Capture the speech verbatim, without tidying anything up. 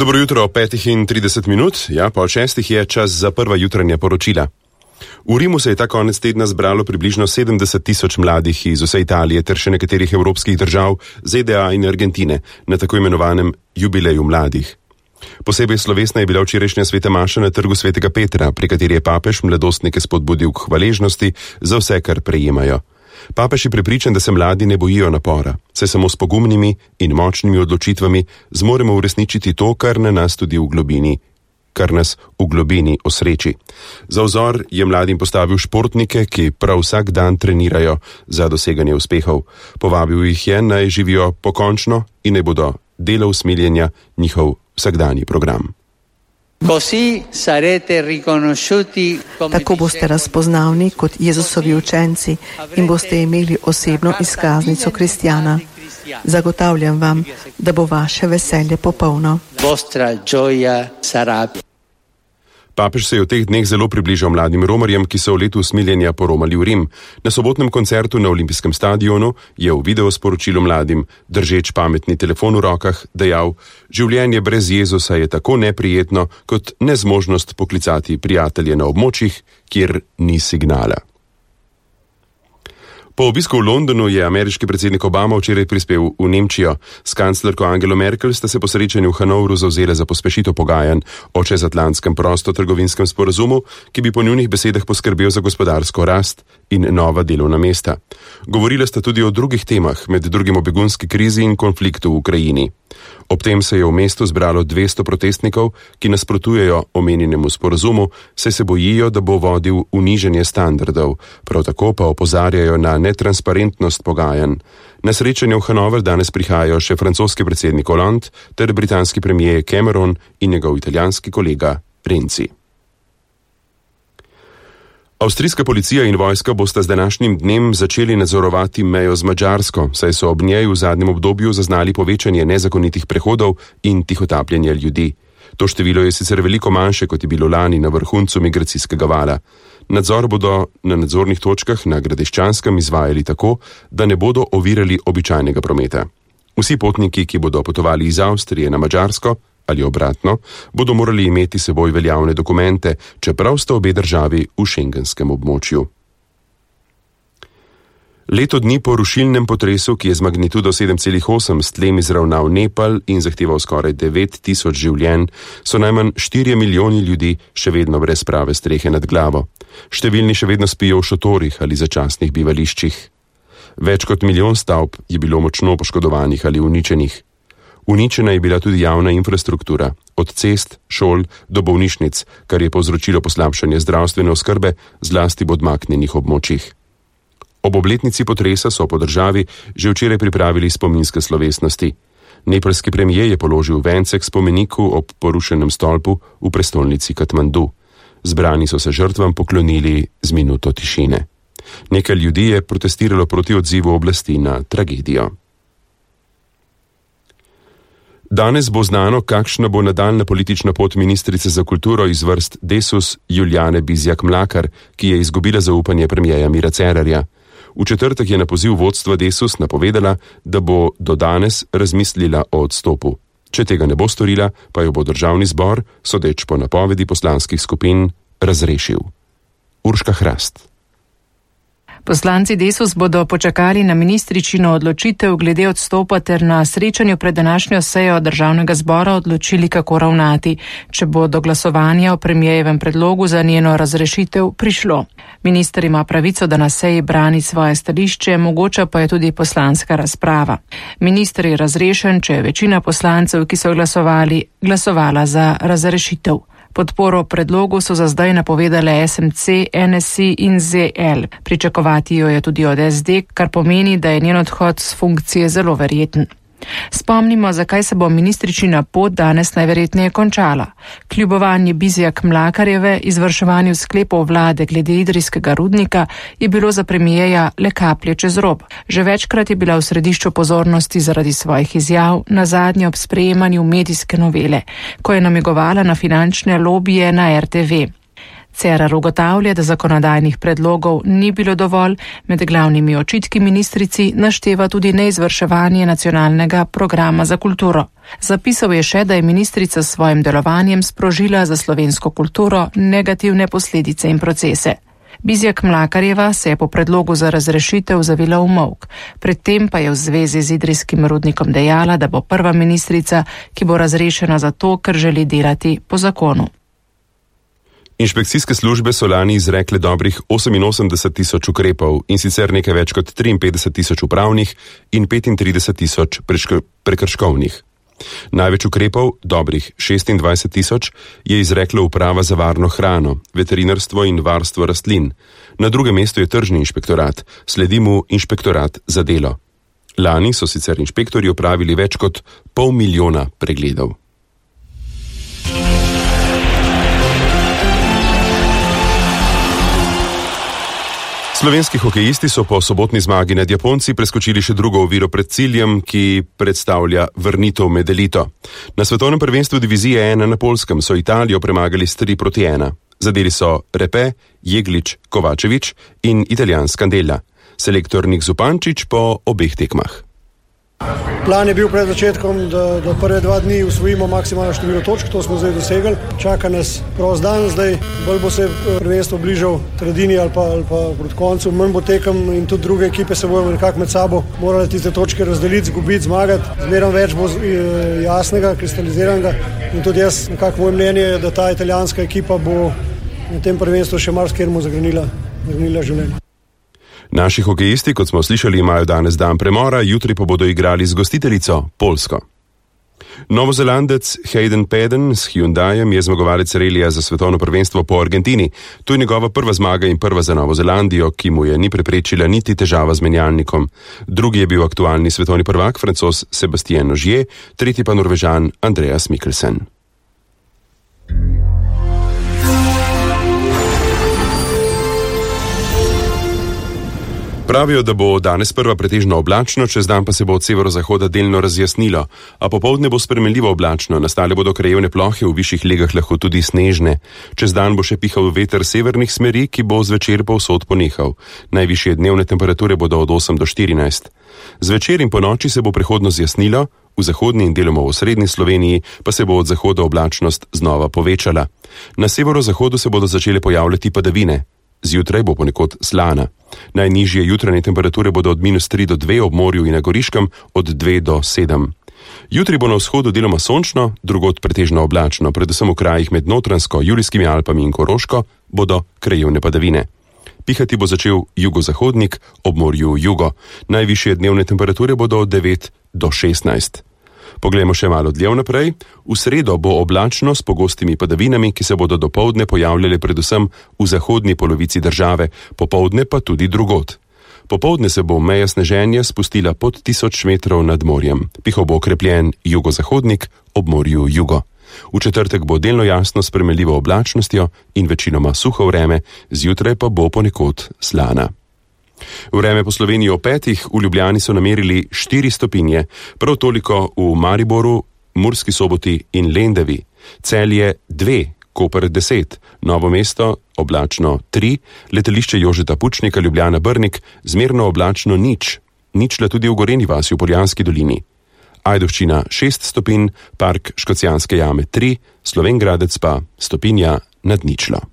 Dobro jutro, petih in trideset minut, ja, pol šestih je čas za prva jutranja poročila. V Rimu se je ta konec tedna zbralo približno sedemdeset tisoč mladih iz vse Italije ter še nekaterih evropskih držav, Z D A in Argentine, na tako imenovanem jubileju mladih. Posebej slovesna je bila včerajšnja sveta maša na trgu svetega Petra, pri kateri je papež mladostnike spodbudil k hvaležnosti za vse, kar prejemajo. Papež je prepričan, da se mladi ne bojijo napora, saj samo s pogumnimi in močnimi odločitvami zmoremo uresničiti to, kar na nas tudi v globini, kar nas v globini osreči. Za vzor je mladim postavil športnike, ki prav vsak dan trenirajo za doseganje uspehov. Povabil jih je, naj živijo pokončno in naj bodo delo usmiljenja njihov vsakdanji program. Tako boste razpoznavni kot Jezusovi učenci in boste imeli osebno izkaznico kristjana. Zagotavljam vam, da bo vaše veselje popolno. Papež se je v teh dneh zelo približal mladim romarjem, ki so v letu usmiljenja poromali v Rim. Na sobotnem koncertu na olimpijskem stadionu je v videosporočilu mladim, držeč pametni telefon v rokah, dejal: življenje brez Jezusa je tako neprijetno, kot nezmožnost poklicati prijatelje na območjih, kjer ni signala. Po obisku v Londonu je ameriški predsednik Obama včeraj prispel v Nemčijo. S kanclerko Angelo Merkel sta se po srečanju v Hanovru zavzela za pospešitev pogajanj o čezatlantskem prostotrgovinskem sporazumu, ki bi po njunih besedah poskrbel za gospodarsko rast in nova delovna mesta. Govorila sta tudi o drugih temah, med drugim o begunski krizi in konfliktu v Ukrajini. Ob tem se je v mestu zbralo dvesto protestnikov, ki nasprotujejo omenjenemu sporazumu, saj se bojijo, da bo vodil v nižanje standardov, prav tako pa opozarjajo na netransparentnost pogajanj. Na srečanje v Hanover danes prihajajo še francoski predsednik Hollande ter britanski premijer Cameron in njegov italijanski kolega Renzi. Avstrijska policija in vojska bosta z današnjim dnem začeli nadzorovati mejo z Madžarsko, saj so ob njej v zadnjem obdobju zaznali povečanje nezakonitih prehodov in tihotapljenja ljudi. To število je sicer veliko manjše, kot je bilo lani na vrhuncu migracijskega vala. Nadzor bodo na nadzornih točkah na Gradiščanskem izvajali tako, da ne bodo ovirali običajnega prometa. Vsi potniki, ki bodo potovali iz Avstrije na Madžarsko ali obratno, bodo morali imeti seboj veljavne dokumente, čeprav sta obe državi v šengenskem območju. Leto dni po rušilnem potresu, ki je z magnitudo sedem celih osem s tlem izravnal Nepal in zahteval skoraj devet tisoč življenj, so najmanj štirje milijoni ljudi še vedno brez prave strehe nad glavo. Številni še vedno spijo v šotorih ali začasnih bivališčih. Več kot milijon stavb je bilo močno poškodovanih ali uničenih. Uničena je bila tudi javna infrastruktura, od cest, šol do bolnišnic, kar je povzročilo poslabšanje zdravstvene oskrbe, zlasti v odmaknjenih območjih. Ob obletnici potresa so po državi že včeraj pripravili spominske slovesnosti. Nepalski premijer je položil vence k spomeniku ob porušenem stolpu v prestolnici Katmandu. Zbrani so se žrtvam poklonili z minuto tišine. Nekaj ljudi je protestiralo proti odzivu oblasti na tragedijo. Danes bo znano, kakšna bo nadaljna politična pot ministrice za kulturo iz vrst Desus Julijane Bizjak-Mlakar, ki je izgubila zaupanje premierja Mira Cerarja. V četrtek je na poziv vodstva Desus napovedala, da bo do danes razmislila o odstopu. Če tega ne bo storila, pa jo bo državni zbor, sodeč po napovedi poslanskih skupin, razrešil. Urška Hrast. Poslanci Desus bodo počakali na ministričino odločitev glede odstopa ter na srečanju pred današnjo sejo državnega zbora odločili, kako ravnati, če bo do glasovanja o premijejevem predlogu za njeno razrešitev prišlo. Minister ima pravico, da na seji brani svoje stališče, mogoča pa je tudi poslanska razprava. Minister je razrešen, če je večina poslancev, ki so glasovali, glasovala za razrešitev. Podporo predlogu so za zdaj napovedale S M C, N S I in Z L. Pričakovati jo je tudi od S D, kar pomeni, da je njen odhod z funkcije zelo verjeten. Spomnimo, zakaj se bo ministričina pot danes najverjetneje končala. Kljubovanje Bizjak-Mlakarjeve izvrševanju sklepov vlade glede idrijskega rudnika je bilo za premijeja le kaplje čez rob. Že večkrat je bila v središču pozornosti zaradi svojih izjav, nazadnje ob sprejemanju medijske novele, ko je namigovala na finančne lobije na R T V. Cerar ugotavlja, da zakonodajnih predlogov ni bilo dovolj, med glavnimi očitki ministrici našteva tudi neizvrševanje nacionalnega programa za kulturo. Zapisal je še, da je ministrica s svojim delovanjem sprožila za slovensko kulturo negativne posledice in procese. Bizjak Mlakarjeva se je po predlogu za razrešitev zavila v molk, predtem pa je v zvezi z idrijskim rudnikom dejala, da bo prva ministrica, ki bo razrešena zato, ker želi delati po zakonu. Inšpekcijske službe so lani izrekle dobrih oseminosemdeset tisoč ukrepov in sicer nekaj več kot triinpetdeset tisoč upravnih in petintrideset tisoč prekrškovnih. Največ ukrepov, dobrih šestindvajset tisoč, je izrekla uprava za varno hrano, veterinarstvo in varstvo rastlin. Na drugem mestu je tržni inšpektorat, sledi mu inšpektorat za delo. Lani so sicer inšpektorji opravili več kot pol milijona pregledov. Slovenski hokejisti so po sobotni zmagi nad Japonci preskočili še drugo oviro pred ciljem, ki predstavlja vrnitev med elito. Na svetovnem prvenstvu divizije ena na Poljskem so Italijo premagali s tri proti ena. Zadeli so Repe, Jeglič, Kovačevič in Italijan Scandella. Selektor Nik Zupančič po obeh tekmah. Plan je bil pred začetkom, da, da prve dva dni usvojimo maksimalno število točk, to smo zdaj dosegli. Čaka nas prost dan, zdaj bolj bo se prvenstvo bližal tredini ali pa, ali pa proti koncu, manj bo tekem in tudi druge ekipe se bojo nekako med sabo morali tiste točke razdeliti, zgubiti, zmagati. Zmerom več bo jasnega, kristaliziranega in tudi jaz, nekako moje mnenje je, da ta italijanska ekipa bo na tem prvenstvu še marsikjermu zagrenila, zagrenila življenje. Naši hokejisti, kot smo slišali, imajo danes dan premora, jutri pa bodo igrali z gostiteljico Poljsko. Novozelandec Hayden Paddon s Hyundaiem je zmagovalec relija za svetovno prvenstvo po Argentini. To je njegova prva zmaga in prva za Novo Zelandijo, ki mu je ni preprečila niti težava z menjalnikom. Drugi je bil aktualni svetovni prvak, Francoz Sebastien Ogier, tretji pa Norvežan Andreas Mikkelsen. Pravijo, da bo danes prva pretežno oblačno, čez dan pa se bo od severozahoda delno razjasnilo, a popoldne bo spremenljivo oblačno, nastale bodo krajevne plohe, v višjih legah lahko tudi snežne. Čez dan bo še pihal veter severnih smeri, ki bo zvečer povsod ponehal. Najvišje dnevne temperature bodo od osem do štirinajst. Zvečer in po noči se bo prehodno zjasnilo, v zahodni in deloma v osrednji Sloveniji pa se bo od zahoda oblačnost znova povečala. Na severozahodu se bodo začele pojavljati padavine. Zjutraj bo ponekod slana. Najnižje jutranje temperature bodo od minus tri do dve, ob morju in na Goriškem od dve do sedem. Jutri bo na vzhodu deloma sončno, drugod pretežno oblačno, predvsem v krajih med Notranjsko, Julijskimi Alpami in Koroško bodo krajevne padavine. Pihati bo začel jugozahodnik, ob morju jugo. Najvišje dnevne temperature bodo od devet do šestnajst. Poglejmo še malo dlje naprej. V sredo bo oblačno s pogostimi padavinami, ki se bodo dopoldne pojavljale predvsem v zahodni polovici države, popoldne pa tudi drugod. Popoldne se bo meja sneženja spustila pod tisoč metrov nad morjem. Pihal bo okrepljen jugozahodnik, ob morju jugo. V četrtek bo delno jasno s spremenljivo oblačnostjo in večinoma suho vreme, zjutraj pa bo ponekod slana. Vreme po Sloveniji o petih, v Ljubljani so namerili štiri stopinje, prav toliko v Mariboru, Murski Soboti in Lendavi. Celje dve, Koper deset, Novo mesto oblačno tri, letališče Jožeta Pučnika Ljubljana Brnik zmerno oblačno nič, ničla tudi v Gorenji vasi v Poljanski dolini. Ajdovščina šest stopinj, Park Škocjanske jame tri, Slovenj Gradec pa stopinja nad ničlo.